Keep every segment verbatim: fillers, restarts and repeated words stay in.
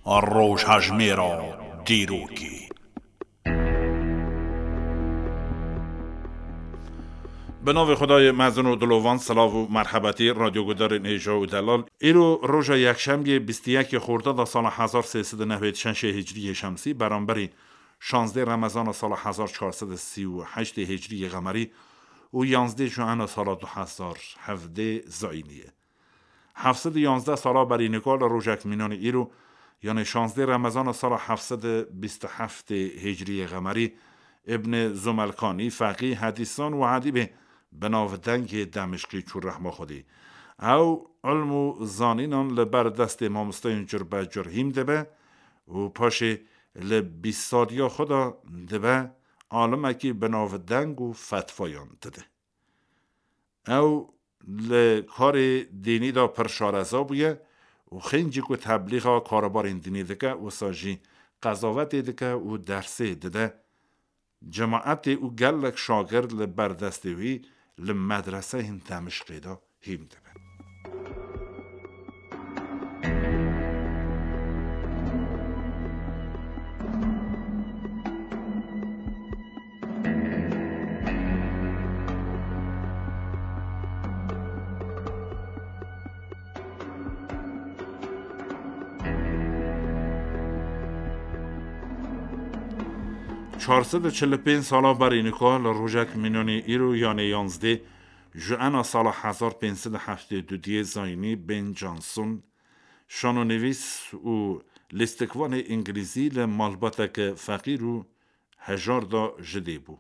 Rojhejmêra dîrokê. Bi navê Xwedayê mezin û dilovan, silav û merhebetî radyogudarên hêja û delal. Îro roja yekşemiyê bîst û yekê Xordada sala hezar sê sed û newêd şeşê Hicriyê Şemsî, beramberî şazdê Remezana sala hezar çar sed û sî û heştê Hicriyê Qemerî û yanzdê Juena sala du hezar hevdê Zayînî ye. Heft sed û yanzdeh sala berî nika li rojek mînanî îro, yanê şazdê Remezana sala heft sed û bîst û heftê Hicriyê Qemerî, Îbnê Zumelkanî, feqî, hedîsan û edîbê bi navdengê Demişqî çû rehma Xwedê. Ew ilm û zanînan li ber destê mamosteyên cur be cur hîm dibe û paşê li bîst saliya xwe de dibe alimekî bi navdeng û fetwayan dide. Ew li karê dînî de pir şareza bûye û xêncî ku teblîxa karebarên dînî dike, wisa jî qezavetê dike û dersê dide. Cemaetê û gelek şagird li ber destê wî li medreseyên Demişqê de hîm dibin. Çar sed û çil û pênc sala berî nika li rojek mînanî îro, yanê yanzdê Juena sala hezar pênc sed û heftê û duyê Zayînî, Ben Jonson, şanonivîs û lîstikvanê îngilîzî, li malbateke feqîr û hejar de ji dê bû.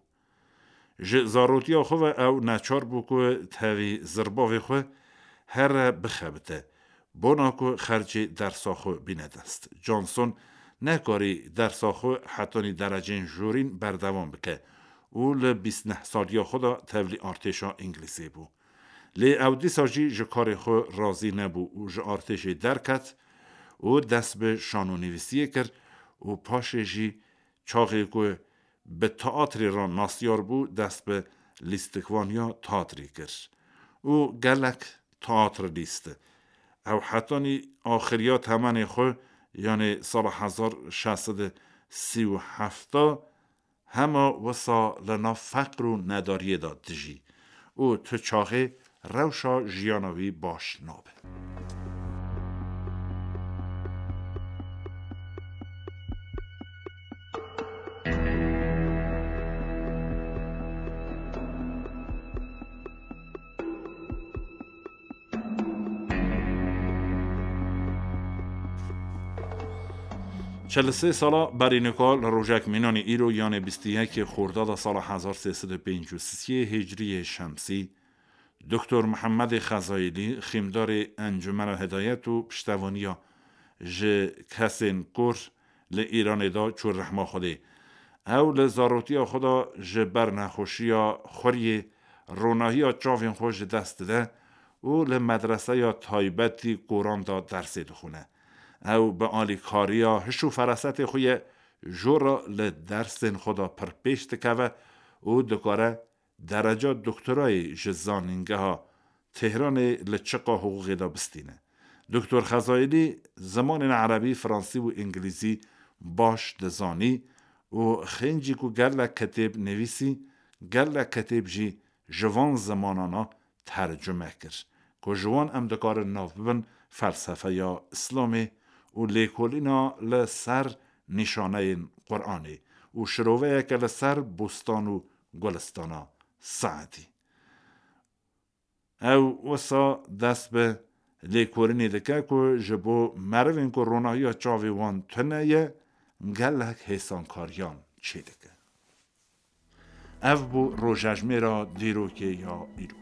Ji zarotiya xwe ve ew neçar bû ku tevî zirbavê xwe here bixebite, bona ku xercê dersa xwe bîne dest. Johnson nekarî dersa xwe hetanî derecên jorîn berdewam bike û li bîst neh saliya xwe de tevlî artêşa Îngilîzê bû. Lê ew dîsa jî ji karê xwe razî nebû û ji artêşê derket û dest bi şanonivîsiyê kir û paşê jî çaxê ku bi teatrê re nasyar bû, dest bi lîstikvaniya teatrê kir û gelek teatr lîsti. Ew hetanî axiriya temenê xwe, yanê sala hezar şeş sed û sî û heft, hema wisa li nav feqr û nedariyê de dijî û tu çaxê rewşa jiyana wî baş nabe. Çel û sê sala berî nika li rojek mînanî îro, yanê bîst û yekê Xordada sala hezar sê sed û pêncî û sê Hicriyê Şemsî, Doktor Mihemedê Xezayîlî, xîmdarê Encumena Hidayet û piştevaniya ji kesên kor li Îranê de, çû rehma Xwedê. Ew li zarotiya xwe de ji ber nexweşiya xuriyê ronahiya çavên xwe ji dest dide û li medreseya taybetî koran de dersê dixwine. Ew bi alîkariya hiş û ferasetê xwe ye, jora li dersên xwe de pir pêş dikeve û dikare dereca doktorayê ji Zanîngeha Tehranê li çiqa hiqûqê de bistîne. Doktor Xezayîlî zimanên erebî, fransî û îngilîzî baş dizanî û xêncî ku gelek kitêb nivîsî, gelek kitêb jî ji van zimanana tercume kir, ku ji wan em dikarin nav bibin felsefeya Îslamê û lêkolîna li ser nîşaneyên Quranê û şiroveyeke li ser bostan û gulistana Seedî. Ew wisa dest bi lêkolînê dike ku ji bo merivên ku ronahiya çavê wan tune ye, gelek hêsankariyan çêdike. Ev bû rojejmêra dîrokê ya îro.